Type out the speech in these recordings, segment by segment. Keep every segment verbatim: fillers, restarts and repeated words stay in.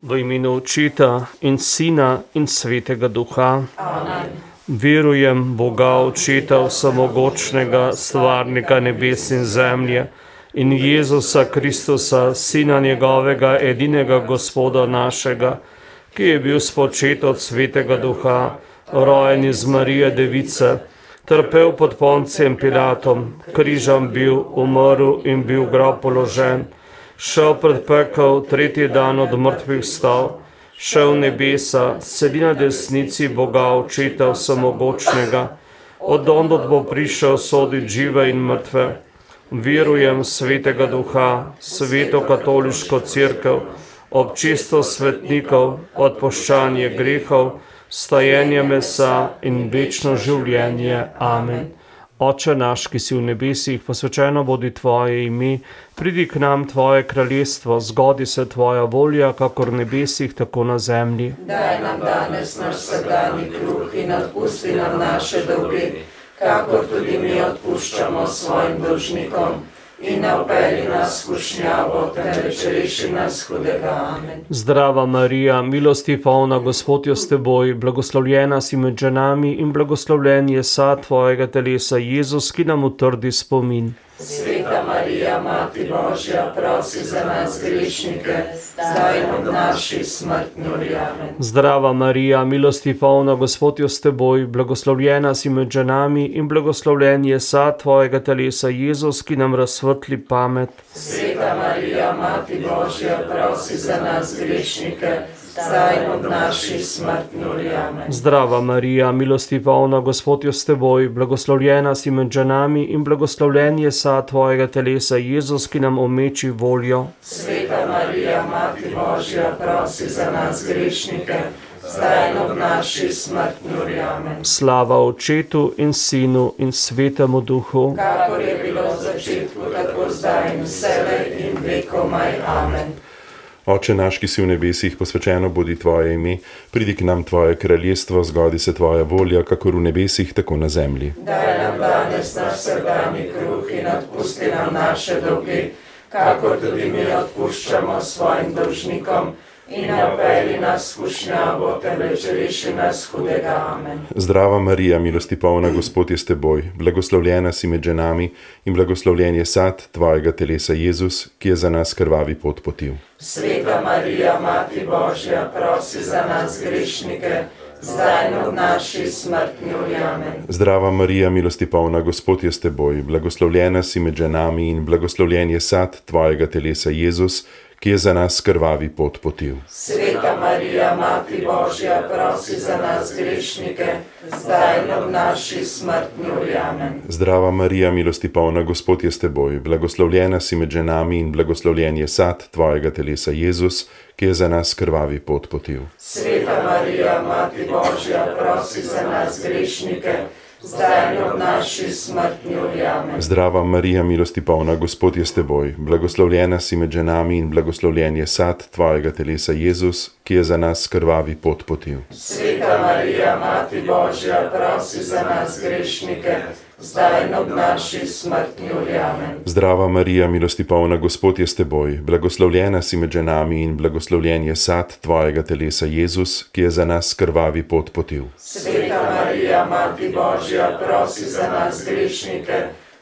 V imenu Očeta in Sina in Svetega Duha. Amen. Verujem Boga Očeta vsemogočnega, stvarnika nebes in zemlje, in Jezusa Kristusa, Sina njegovega, edinega Gospoda našega, ki je bil spočet od Svetega Duha, rojen iz Marije Device, trpel pod Poncijem Pilatom, križem bil, umrl in bil v grob položen, šel pred pekel, tretji dan od mrtvih vstal, šel v nebesa, sedi na desnici Boga Očeta vsemogočnega, od ondod bo prišel soditi žive in mrtve. Verujem Svetega Duha, Sveto katoliško cerkev, občestvo svetnikov, odpuščanje grehov, stajenje mesa in večno življenje. Amen. Oče naš, ki si v nebesih, posvečeno bodi tvoje ime, pridi k nam tvoje kraljestvo, zgodi se tvoja volja, kakor v nebesih, tako na zemlji. Daj nam danes naš vsakdanji kruh in odpusti nam naše dolge, kakor tudi mi odpuščamo svojim dolžnikom. In ne vpelji nas v skušnjavo, temveč reši nas hudega. Amen. Zdrava Marija, milosti polna, Gospod je s teboj, blagoslovljena si med ženami in blagoslovljen je sad tvojega telesa, Jezus, ki nam utrdi spomin. Sveta Marija, Mati Božja, prosi za nas grešnike, zdaj in ob naši smrtni uri. Amen. Zdrava Marija, milosti polna, Gospod je s teboj, blagoslovljena si med ženami in blagoslovljen je sad tvojega telesa, Jezus, ki nam razsvetli pamet. Sveta Marija, Mati Božja, prosi za nas grešnike, zdaj in ob naši smrtni uri. Amen. Zdrava Marija, milosti polna, Gospod je s teboj, blagoslovljena si med ženami in blagoslovljen je sad tvojega telesa, Jezus, ki nam omeči voljo. Sveta Marija, Mati Božja, prosi za nas grešnike, zdaj in ob naši smrtni uri. Amen. Slava Očetu in Sinu in Svetemu Duhu. Kakor je bilo v začetku, tako zdaj in vselej in vekomaj. Amen. Oče naš, ki si v nebesih, posvečeno bodi tvoje ime, pridi k nam tvoje kraljestvo, zgodi se tvoja volja, kakor v nebesih, tako na zemlji. Daj nam danes naš vsakdanji kruh in odpusti nam naše dolge, kakor tudi mi odpuščamo svojim dolžnikom. In ne vpelji nas v skušnjavo, temveč reši nas hudega. Amen. Zdrava Marija, milosti polna, Gospod je s teboj, blagoslovljena si med ženami in blagoslovljen je sad tvojega telesa, Jezus, ki je za nas krvavi pot potil. Sveta Marija, Mati Božja, prosi za nas grešnike, zdaj in ob naši smrtni uri. Amen. Zdrava Marija, milosti polna, Gospod je s teboj, blagoslovljena si med ženami in blagoslovljen je sad tvojega telesa, Jezus, ki je za nas krvavi pot potil. Sveta Marija, Mati Božja, prosi za nas grešnike, zdaj in ob naši smrtni uri. Amen. Zdrava Marija, milosti polna, Gospod je s teboj, blagoslovljena si med ženami in blagoslovljen je sad tvojega telesa, Jezus, ki je za nas krvavi pot potil. Sveta Marija, Mati Božja, prosi za nas grešnike, zdaj in ob naši smrtni uri. Amen. Zdrava Marija, milosti polna, Gospod je s teboj, blagoslovljena si med ženami in blagoslovljen je sad tvojega telesa, Jezus, ki je za nas krvavi pot potil. Sveta Marija, Mati Božja, prosi za nas grešnike, zdaj in ob naši smrtni uri. Amen. Zdrava Marija, milosti polna, Gospod je s teboj, blagoslovljena si med ženami in blagoslovljen je sad tvojega telesa, Jezus, ki je za nas krvavi pot potil. Sveta Marija, Mati Božja, prosi za nas grešnike,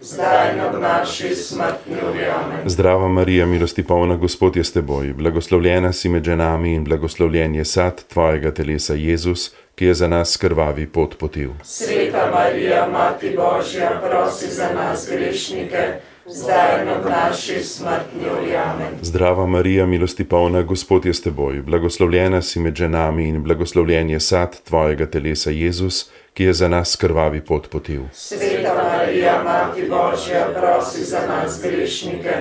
zdaj in ob naši smrtni uri. Amen. Zdrava Marija, milosti polna, Gospod je s teboj, blagoslovljena si med ženami in blagoslovljen je sad tvojega telesa, Jezus, ki je za nas krvavi pot potil. Sveta Marija, Mati Božja, prosi za nas grešnike, zdaj in ob naši smrtni uri. Amen. Zdrava Marija, milosti polna, Gospod je s teboj, blagoslovljena si med ženami in blagoslovljen je sad tvojega telesa, Jezus, ki je za nas krvavi pot potil. Sveta Marija, Mati Božja, prosi za nas grešnike,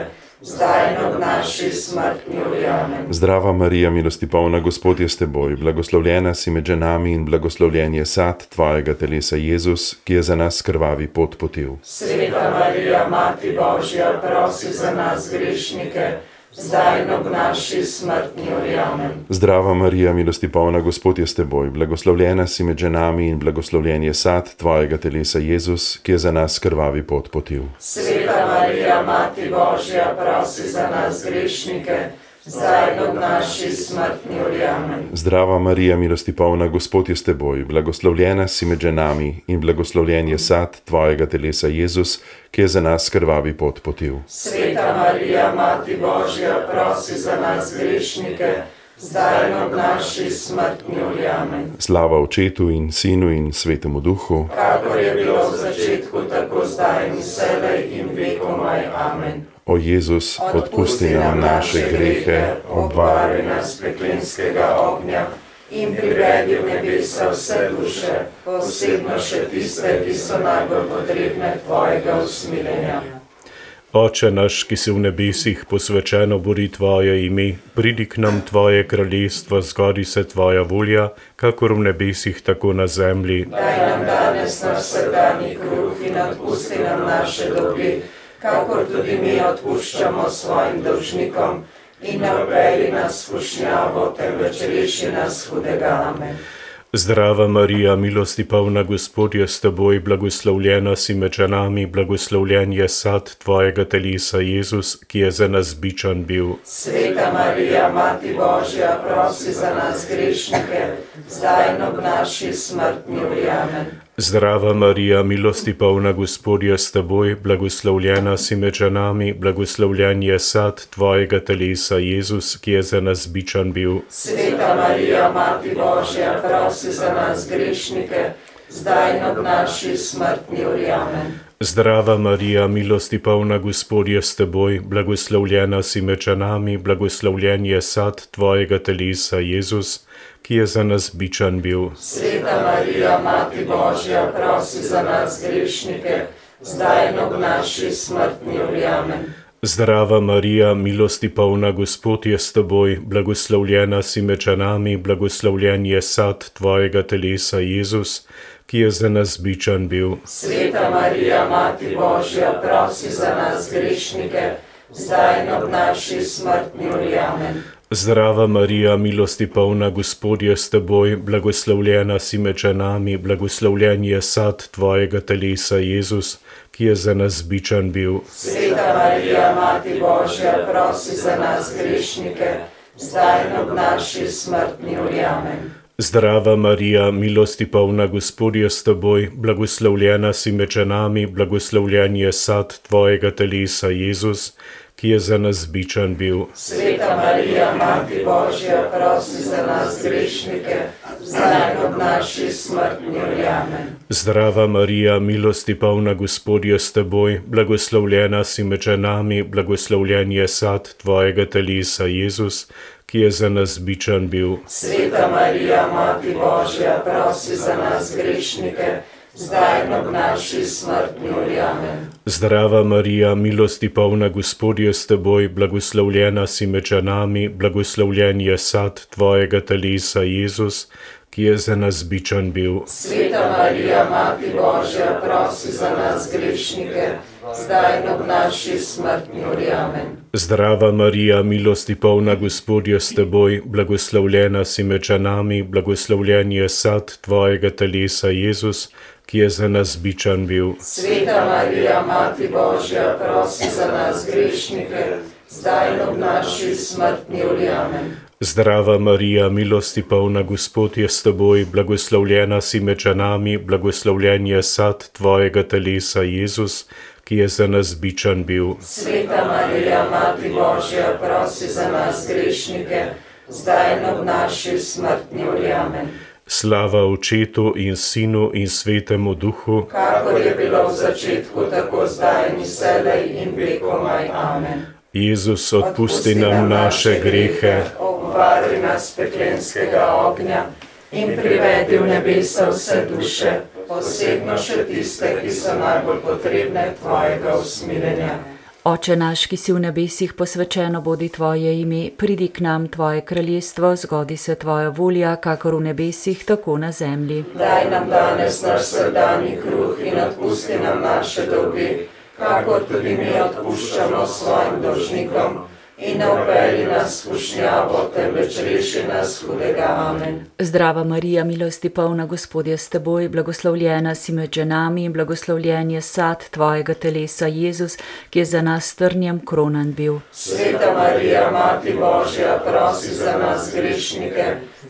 zdaj in ob naši smrtni uri. Amen. Zdrava Marija, milosti polna, Gospod je s teboj, blagoslovljena si med ženami in blagoslovljen je sad tvojega telesa, Jezus, ki je za nas krvavi pot potil. Sveta Marija, Mati Božja, prosi za nas grešnike, zdaj in ob naši smrtni uri. Amen. Zdrava Marija, milosti polna, Gospod je s teboj, blagoslovljena si med ženami in blagoslovljen je sad tvojega telesa, Jezus, ki je za nas krvavi pot potil. Sveta Marija, Mati Božja, prosi za nas grešnike, zdaj in ob naši smrtni uri. Amen. Zdrava Marija, milosti polna, Gospod je s teboj, blagoslovljena si med ženami in blagoslovljen je sad tvojega telesa Jezus, ki je za nas krvavi pot potil. Sveta Marija, Mati Božja, prosi za nas grešnike, zdaj in ob naši smrtni uri. Amen. Slava Očetu in Sinu in Svetemu Duhu, Kakor je bilo v začetku, tako zdaj in vselej in vekomaj. Amen. o Jezus, odpusti nam naše grehe, obvari nas peklenskega ognja in privedi v nebesa vse duše, posebno še tiste, ki so najbolj potrebne tvojega usmiljenja. Oče naš, ki si v nebesih, posvečeno bodi tvoje ime, pridi k nam tvoje kraljestvo, zgodi se tvoja volja, kakor v nebesih, tako na zemlji. Daj nam danes naš vsakdanji kruh in odpusti nam naše dolge, kakor tudi mi odpuščamo svojim dolžnikom, in ne vpelji nas v skušnjavo, temveč reši nas hudega. Amen. Zdrava Marija, milosti polna, Gospod je s teboj, blagoslovljena si med ženami, blagoslovljen je sad tvojega telesa Jezus, ki je za nas bičan bil. Sveta Marija, Mati Božja, prosi za nas grešnike, zdaj in ob naši smrtni uri. Amen. Zdrava Marija, milosti polna, Gospod je s teboj, blagoslovljena si med ženami, blagoslovljen je sad tvojega telesa Jezus, ki je za nas bičan bil. Sveta Marija, Mati Božja, prosi za nas grešnike, zdaj in ob naši smrtni uri. Amen. Zdrava Marija, milosti polna, Gospod je s teboj, blagoslovljena si med ženami, blagoslovljen je sad tvojega telesa Jezus, ki je za nas bičan bil. Sveta Marija, Mati Božja, prosi za nas grešnike, zdaj in ob naši smrtni uri. Amen. Zdrava Marija, milosti polna, Gospod je s teboj, blagoslovljena si med ženami, blagoslovljen je sad tvojega telesa Jezus, ki je za nas bičan bil. Sveta Marija, Mati Božja, prosi za nas grešnike, zdaj in ob naši smrtni uri. Amen. Zdrava Marija, milosti polna, Gospod je s teboj, blagoslovljena si med ženami, blagoslovljen je sad tvojega telesa Jezus, ki je za nas bičan bil. Sveta Marija, Mati Božja, prosi za nas grešnike, zdaj in ob naši smrtni uri. Amen. Zdrava Marija, milosti polna, Gospod je s teboj, blagoslovljena si med ženami, blagoslovljen je sad tvojega telesa Jezus, ki je za nas bičan bil. Sveta Marija, Mati Božja, prosi za nas grešnike, zdaj in ob naši smrtni uri. Amen. Zdrava Marija, milosti polna, Gospod je s teboj, blagoslovljena si med ženami, blagoslovljen je sad tvojega telesa Jezus, ki je za nas bičan bil. Sveta Marija, Mati Božja, prosi za nas grešnike, zdaj in ob naši smrtni uri. Amen. Zdrava Marija, milosti polna, Gospod je s teboj, blagoslovljena si med ženami, blagoslovljen je sad tvojega telesa Jezus, ki je za nas bičan bil. Sveta Marija, Mati Božja, prosi za nas grešnike, zdaj in ob naši smrtni uri. Amen. Zdrava Marija, milosti polna, Gospod je s teboj, blagoslovljena si med ženami, blagoslovljen je sad tvojega telesa Jezus, ki je za nas bičan bil. Sveta Marija, Mati Božja, prosi za nas grešnike, zdaj in ob naši smrtni uri. Amen. Zdrava Marija, milosti polna, Gospod je s teboj, blagoslovljena si med ženami, blagoslovljen je sad tvojega telesa Jezus, ki je za nas bičan bil. Sveta Marija, Mati Božja, prosi za nas grešnike, zdaj in ob naši smrtni uri. Amen. Slava Očetu in Sinu in Svetemu Duhu, kakor je bilo v začetku, tako zdaj in vselej in vekomaj. Amen. Jezus, odpusti nam naše grehe, obvari nas peklenskega ognja in privedi v nebesa vse duše, posebno še tiste, ki so najbolj potrebne tvojega usmiljenja. Oče naš, ki si v nebesih, posvečeno bodi tvoje ime, pridi k nam tvoje kraljestvo, zgodi se tvoja volja, kakor v nebesih, tako na zemlji. Daj nam danes naš vsakdanji kruh in odpusti nam naše dolge, kakor tudi mi odpuščamo svojim dolžnikom, in ne vpelji nas v skušnjavo, temveč reši nas hudega. Amen. Zdrava Marija, milosti polna, Gospod je s teboj, blagoslovljena si med ženami in blagoslovljen je sad tvojega telesa, Jezus, ki je za nas s trnjem kronan bil. Sveta Marija, Mati Božja, prosi za nas grešnike,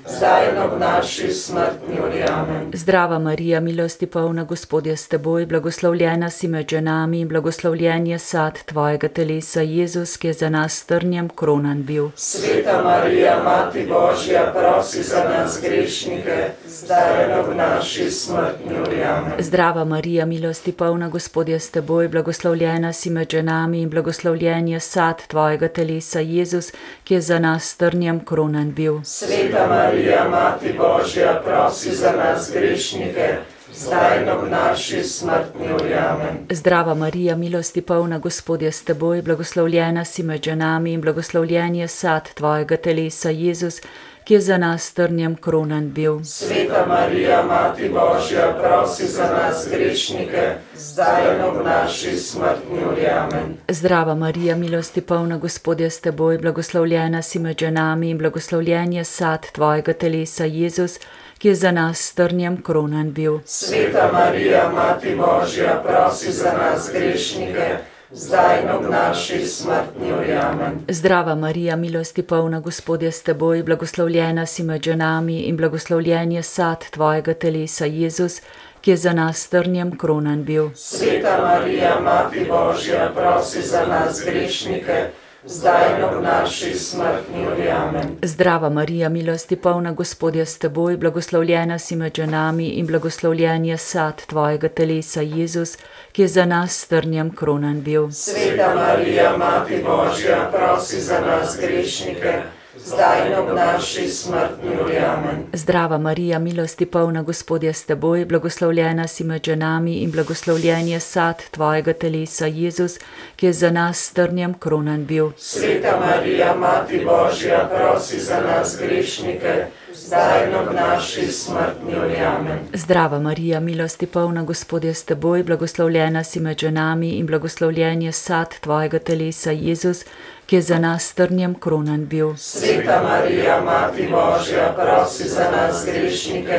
zdaj in ob naši smrtni uri. Amen. Zdrava Marija, milosti polna, Gospod je s teboj, blagoslovljena si med ženami in blagoslovljen je sad tvojega telesa, Jezus, ki je za nas s trnjem kronan bil. Sveta Marija, Mati Božja, prosi za nas grešnike, zdaj in ob naši smrtni uri. Amen. Zdrava Marija, milosti polna, Gospod je s teboj, blagoslovljena si med ženami in blagoslovljen je sad tvojega telesa, Jezus, ki je za nas s trnjem kronan bil. Sveta Marija, Mati Božja, prosi za nas grešnike, zdaj in ob naši smrtni uri. Amen. Zdrava Marija, milosti polna, Gospod je s teboj, blagoslovljena si med ženami in blagoslovljen je sad tvojega telesa, Jezus, ki je za nas s trnjem kronan bil. Sveta Marija, Mati Božja, prosi za nas grešnike, zdaj in ob naši smrtni uri. Amen. Zdrava Marija, milosti polna, Gospod je s teboj, blagoslovljena si med ženami in blagoslovljen je sad tvojega telesa, Jezus, ki je za nas s trnjem kronan bil. Sveta Marija, Mati Božja, prosi za nas grešnike, zdaj in ob naši smrtni uri. Amen. Zdrava Marija, milosti polna, Gospod je s teboj, blagoslovljena si med ženami in blagoslovljen je sad tvojega telesa, Jezus, ki je za nas s trnjem kronan bil. Sveta Marija, Mati Božja, prosi za nas grešnike, zdaj in ob naši smrtni uri. Amen. Zdrava Marija, milosti polna, Gospod je s teboj, blagoslovljena si med ženami in blagoslovljen je sad tvojega telesa, Jezus, ki je za nas s trnjem kronan bil. Sveta Marija, Mati Božja, prosi za nas grešnike, zdaj in ob naši smrtni uri. Amen. Zdrava Marija, milosti polna, Gospod je s teboj, blagoslovljena si med ženami in blagoslovljen je sad tvojega telesa, Jezus, ki je za nas s trnjem kronan bil. Sveta Marija, Mati Božja, prosi za nas grešnike, zdaj in ob naši smrtni uri. Amen. Zdrava Marija, milosti polna, Gospod je s teboj, blagoslovljena si med ženami in blagoslovljen je sad tvojega telesa, Jezus, ki je za nas s trnjem kronan bil. Sveta Marija, Mati Božja, prosi za nas grešnike,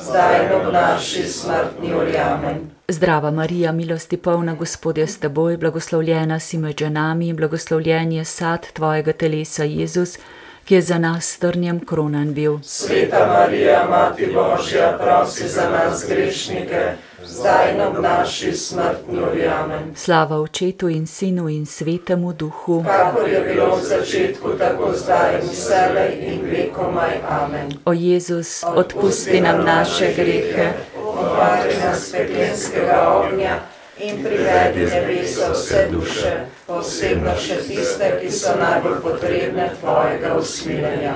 zdaj in ob naši smrtni uri. Amen. Zdrava Marija, milosti polna, Gospod je s teboj, blagoslovljena si med ženami in blagoslovljen je sad tvojega telesa, Jezus, ki je za nas s trnjem kronan bil. Sveta Marija, Mati Božja, prosi za nas grešnike, zdaj in ob naši smrtni uri. Amen. Slava Očetu in Sinu in Svetemu Duhu, kakor je bilo v začetku, tako zdaj in vselej in vekomaj. Amen. O Jezus, odpusti nam naše grehe, obvari nas peklenskega ognja in privedi nebesa vse duše, posebno še tiste, ki so najbolj potrebne tvojega usmiljenja.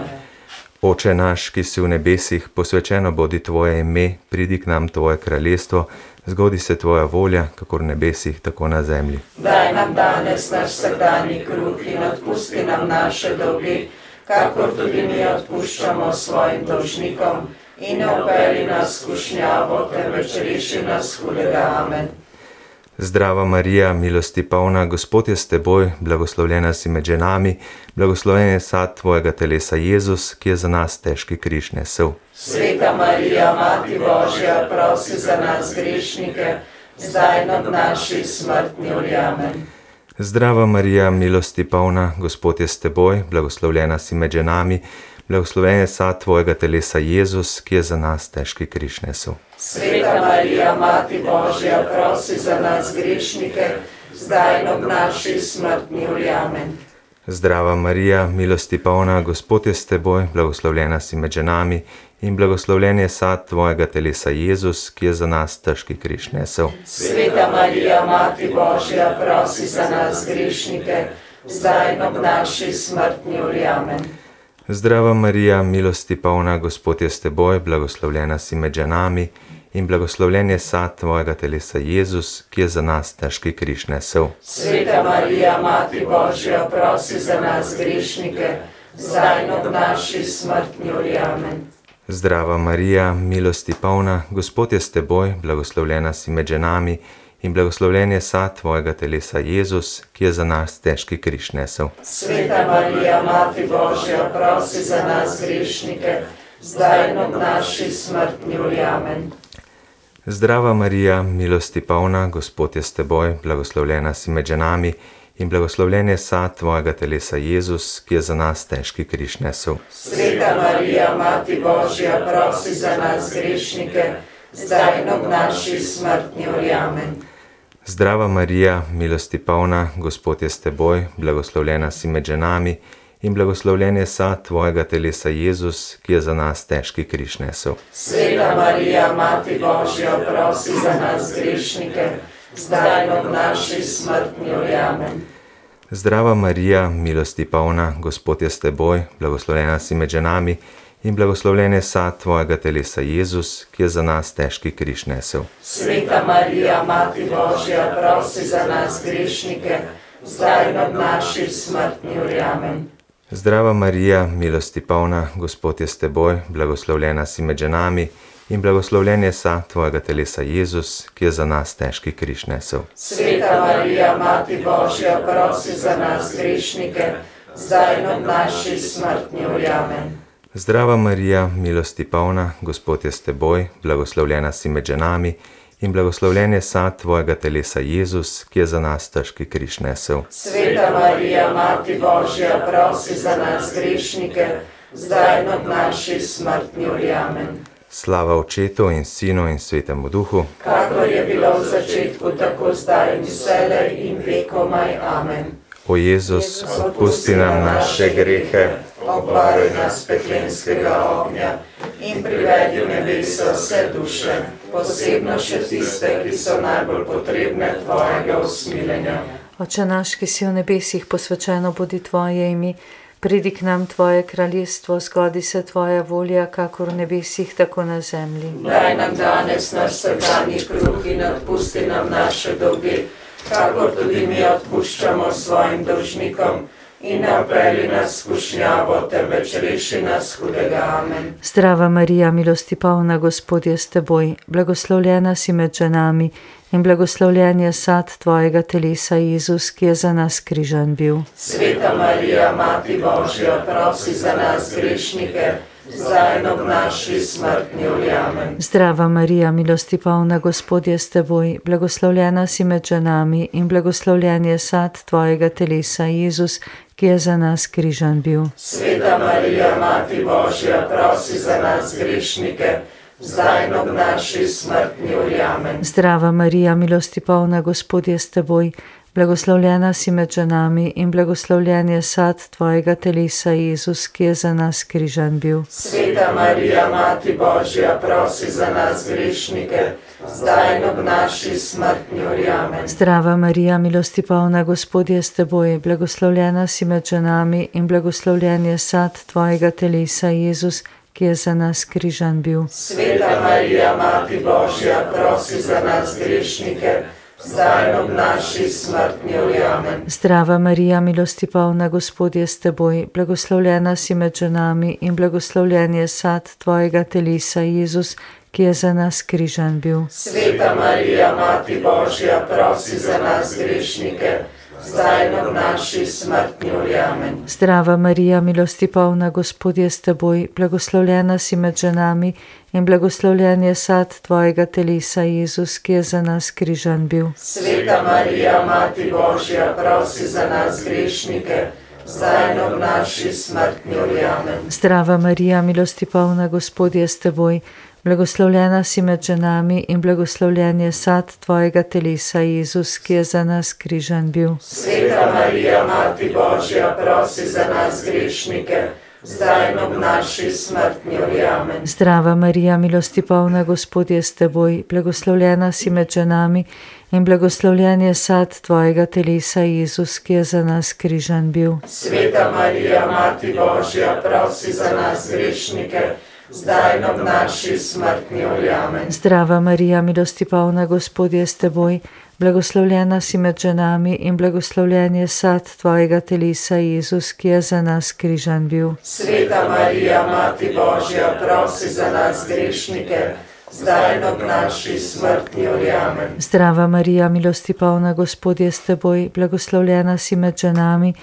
Oče naš, ki si v nebesih, posvečeno bodi tvoje ime, pridi k nam tvoje kraljestvo, zgodi se tvoja volja, kakor v nebesih, tako na zemlji. Daj nam danes naš vsakdanji kruh in odpusti nam naše dolge, kakor tudi mi odpuščamo svojim dolžnikom, in ne vpelji nas v skušnjavo, temveč reši nas hudega. Amen. Zdrava Marija, milosti polna, Gospod je s teboj, blagoslovljena si med ženami, blagoslovljen je sad tvojega telesa, Jezus, ki je za nas težki križ nesel. Sveta Marija, Mati Božja, prosi za nas grešnike, zdaj in ob naši smrtni uri. Amen. Zdrava Marija, milosti polna, Gospod je s teboj, blagoslovljena si med ženami, blagoslovljen je sad tvojega telesa, Jezus, ki je za nas težki križ nesel. Sveta Marija, Mati Božja, prosi za nas grešnike, zdaj in ob naši smrtni uri. Amen. Zdrava Marija, milosti polna, Gospod je s teboj, blagoslovljena si med ženami in blagoslovljen je sad tvojega telesa, Jezus, ki je za nas težki križ nesel. Sveta Marija, Mati Božja, prosi za nas grešnike, zdaj in ob naši smrtni uri. Amen. Zdrava Marija, milosti polna, Gospod je s teboj, blagoslovljena si med ženami in blagoslovljen je sad tvojega telesa, Jezus, ki je za nas težki križ nesel. Sveta Marija, Mati Božja, prosi za nas grešnike, zdaj in ob naši smrtni uri. Amen. Zdrava Marija, milosti polna, Gospod je s teboj, blagoslovljena si med ženami in blagoslovljen je sad tvojega telesa, Jezus, ki je za nas težki križ nesel. Sveta Marija, Mati Božja, prosi za nas grešnike, zdaj in ob naši smrtni uri. Amen. Zdrava Marija, milosti polna, Gospod je s teboj, blagoslovljena si med ženami in blagoslovljen je sad tvojega telesa, Jezus, ki je za nas težki križ nesel. Sveta Marija, Mati Božja, prosi za nas grešnike, zdaj in ob naši smrtni uri. Amen. Zdrava Marija, milosti polna, Gospod je s teboj, blagoslovljena si med ženami in blagoslovljen je sad tvojega telesa, Jezus, ki je za nas težki križ nesel. Sveta Marija, Mati Božja, prosi za nas grešnike, zdaj in ob naši smrtni uri. Amen. Zdrava Marija, milosti polna, Gospod je s teboj, blagoslovljena si med ženami in blagoslovljen je sad tvojega telesa, Jezus, ki je za nas težki križ nesel. Sveta Marija, Mati Božja, prosi za nas grešnike, zdaj in ob naši smrtni uri. Amen. Zdrava Marija, milosti polna, Gospod je s teboj, blagoslovljena si med ženami in blagoslovljen je sad tvojega telesa, Jezus, ki je za nas težki križ nesel. Sveta Marija, Mati Božja, prosi za nas grešnike, zdaj in ob naši smrtni uri. Amen. Zdrava Marija, milosti polna, Gospod je s teboj, blagoslovljena si med ženami in blagoslovljen je sad tvojega telesa, Jezus, ki je za nas težki križ nesel. Sveta Marija, Mati Božja, prosi za nas grešnike, zdaj in ob naši smrtni uri. Amen. Slava Očetu in Sinu in Svetemu Duhu, kakor je bilo v začetku, tako zdaj in vselej in vekomaj. Amen. O Jezus, odpusti nam naše grehe, obvaruj nas peklenskega ognja in privedi v nebesa vse duše, posebno še tiste, ki so najbolj potrebne tvojega usmiljenja. Oče naš, ki si v nebesih, posvečeno bodi tvoje ime, pridi k nam tvoje kraljestvo, zgodi se tvoja volja, kakor v nebesih, tako na zemlji. Daj nam danes naš vsakdanji kruh in odpusti nam naše dolge, kakor tudi mi odpuščamo svojim dolžnikom, in ne vpelji nas v skušnjavo, temveč reši nas hudega. Amen. Zdrava Marija, milosti polna, Gospod je s teboj, blagoslovljena si med ženami in blagoslovljen je sad tvojega telesa, Jezus, ki je za nas križan bil. Sveta Marija, Mati Božja, prosi za nas grešnike, zdaj in ob naši smrtni uri. Amen. Zdrava Marija, milosti polna, Gospod je s teboj, blagoslovljena si med ženami in blagoslovljen je sad tvojega telesa, Jezus, ki je za nas križan bil. Sveta Marija, Mati Božja, prosi za nas grešnike, zdaj in ob naši smrtni uri. Amen. Zdrava Marija, milosti polna, Gospod je s teboj, blagoslovljena si med ženami in blagoslovljen je sad tvojega telesa, Jezus, ki je za nas križan bil. Sveta Marija, Mati Božja, prosi za nas grešnike, zdaj in ob naši smrtni uri. Amen. Zdrava Marija, milosti polna, Gospod je s teboj, blagoslovljena si med ženami in blagoslovljen je sad tvojega telesa, Jezus, ki je za nas križan bil. Sveta Marija, Mati Božja, prosi za nas grešnike, zdaj in ob naši smrtni uri. Amen. Zdrava Marija, milosti polna, Gospod je s teboj, blagoslovljena si med ženami in blagoslovljen je sad tvojega telesa, Jezus, ki je za nas križan bil. Sveta Marija, Mati Božja, prosi za nas grešnike, zdaj in ob naši smrtni uri. Amen. Zdrava Marija, milosti polna, Gospod je s teboj, blagoslovljena si med ženami in blagoslovljen je sad tvojega telesa, Jezus, ki je za nas križan bil. Sveta Marija, Mati Božja, prosi za nas grešnike, zdaj in ob naši smrtni uri. Amen. Zdrava Marija, milosti polna, Gospod je s teboj, blagoslovljena si med ženami in blagoslovljen je sad tvojega telesa, Jezus, ki je za nas križan bil. Sveta Marija, Mati Božja, prosi za nas grešnike, zdaj in ob naši smrtni uri. Amen. Zdrava Marija, milosti polna, Gospod je s teboj, blagoslovljena si med ženami in blagoslovljen je sad tvojega telesa, Jezus, ki je za nas križan bil. Sveta Marija, Mati Božja, prosi za nas grešnike, zdaj in ob naši smrtni uri. Amen. Zdrava Marija, milosti polna, Gospod je s teboj, blagoslovljena si med ženami in blagoslovljen je sad tvojega telesa, Jezus, ki je za nas križan bil. Sveta Marija, Mati Božja, prosi za nas grešnike, zdaj in ob naši smrti. Amen. Zdrava Marija, milosti polna, Gospod je s teboj, blagoslovljena si med ženami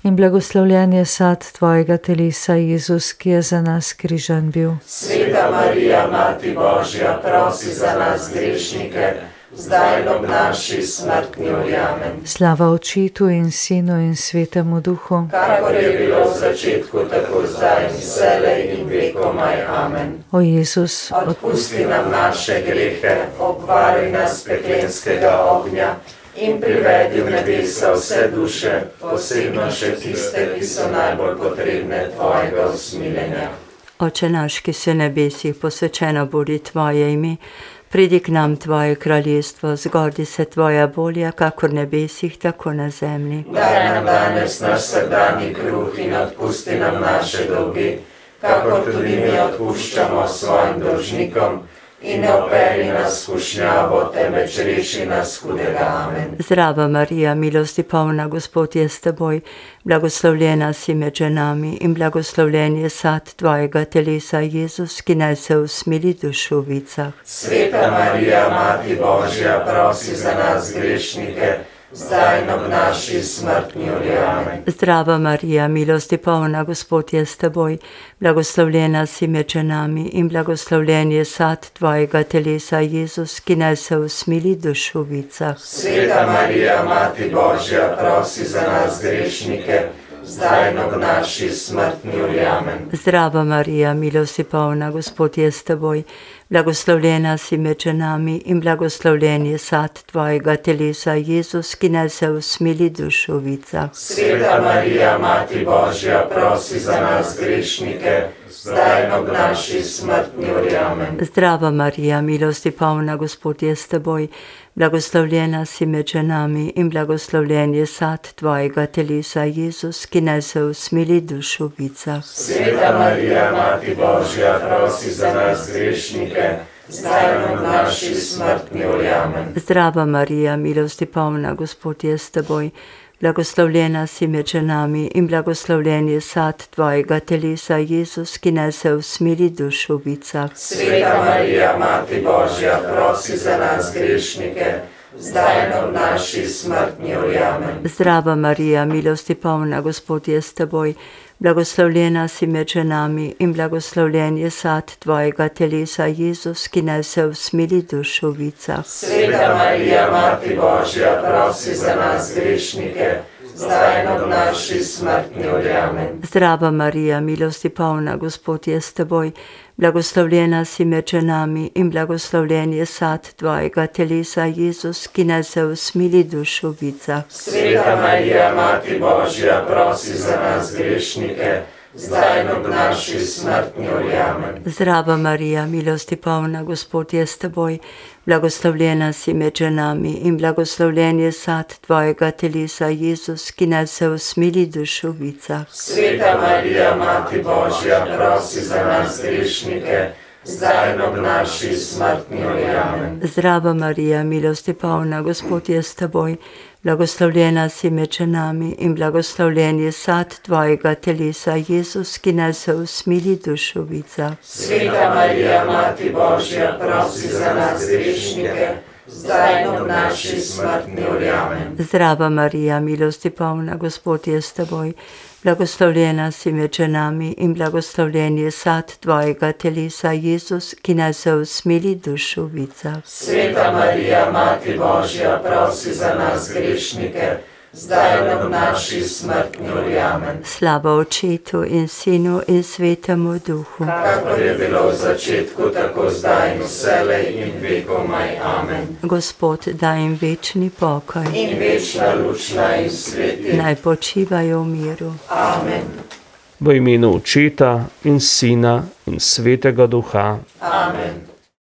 in blagoslovljen je sad tvojega telesa, Jezus, ki je za nas križan bil. Sveta Marija, Mati Božja, prosi za nas grešnike, zdaj in ob naši smrti. Amen. Slava Očetu in Sinu in Svetemu Duhu, Kakor je bilo v začetku, tako zdaj in vselej in vekomaj. Amen. o Jezus, Odpusti nam naše grehe, obvaruj nas peklenskega ognja in privedi v nebesa vse duše, posebno še tiste, ki so najbolj potrebne tvojega usmiljenja. Oče naš, ki si v nebesih, posvečeno bodi tvoje ime, pridi k nam tvoje kraljestvo, zgodi se tvoja volja, kakor v nebesih, tako na zemlji. Daj nam danes naš vsakdanji kruh in odpusti nam naše dolge, kakor tudi mi odpuščamo svojim dolžnikom, in ne vpelji nas v skušnjavo, temveč reši nas hudega. Amen. Zdrava Marija, milosti polna, Gospod je s teboj, blagoslovljena si med ženami in blagoslovljen je sad tvojega telesa, Jezus, ki naj se usmili dušovicah. Sveta Marija, Mati Božja, prosi za nas grešnike, zdaj in ob naši smrti. Amen. Zdrava Marija, milosti polna, Gospod je s teboj, blagoslovljena si med ženami in blagoslovljen je sad tvojega telesa, Jezus, ki naj se usmili dušovicah. Sveta Marija, Mati Božja, prosi za nas grešnike, zdaj in ob naši smrti. Amen. Zdrava Marija, milosti polna, Gospod je s teboj, blagoslovljena si med ženami in blagoslovljen je sad tvojega telesa, Jezus, ki naj se usmili dušovicah. Sveta Marija, Mati Božja, prosi za nas grešnike, zdaj in ob naši smrti. Amen. Zdrava Marija, milosti polna, Gospod je s teboj, blagoslovljena si med ženami in blagoslovljen je sad tvojega telesa, Jezus, ki naj se usmili dušovicah. Sveta Marija, Mati Božja, prosi za nas grešnike, zdaj in ob naši smrti. Amen. Zdrava Marija, milosti polna, Gospod je s teboj, blagoslovljena si med ženami in blagoslovljen je sad tvojega telesa, Jezus, ki naj se usmili dušovicah. Sveta Marija, Mati Božja, prosi za nas grešnike, zdaj in ob naši smrti. Amen. Zdrava Marija, milosti polna, Gospod je s teboj, blagoslovljena si med ženami in blagoslovljen je sad tvojega telesa, Jezus, ki naj se usmili dušovicah. Sveta Marija, Mati Božja, prosi za nas grešnike, zdaj in ob naši smrti. Amen. Zdrava Marija, milosti polna, Gospod je s teboj, blagoslovljena si med ženami in blagoslovljen je sad tvojega telesa, Jezus, ki naj se usmili dušovicah. Sveta Marija, Mati Božja, prosi za nas grešnike, zdaj in ob naši smrti. Amen. Zdrava Marija, milosti polna, Gospod je s teboj, blagoslovljena si med ženami in blagoslovljen je sad tvojega telesa, Jezus, ki naj se usmili dušovicah. Sveta Marija, Mati Božja, prosi za nas grešnike, zdaj in ob naši smrti. Amen. Zdrava Marija, milosti polna, Gospod je s teboj, blagoslovljena si med ženami in blagoslovljen je sad tvojega telesa, Jezus, ki naj se usmili dušovicah. Sveta Marija, Mati Božja, prosi za nas grešnike, zdaj in ob naši smrti. Amen. Zdrava Marija, milosti polna, Gospod je s teboj, blagoslovljena si med ženami in blagoslovljen je sad tvojega telesa, Jezus, ki naj se usmili dušovicah. Sveta Marija, Mati Božja, prosi za nas grešnike, zdaj in ob naši smrti. Amen. Slava Očetu in Sinu in Svetemu Duhu. Kakor je bilo v začetku, tako zdaj in vselej in vekomaj. Amen. Gospod, daj jim večni pokoj. In večna luč naj jim sveti. Naj počivajo v miru. Amen. V imenu Očeta in Sina in Svetega Duha. Amen.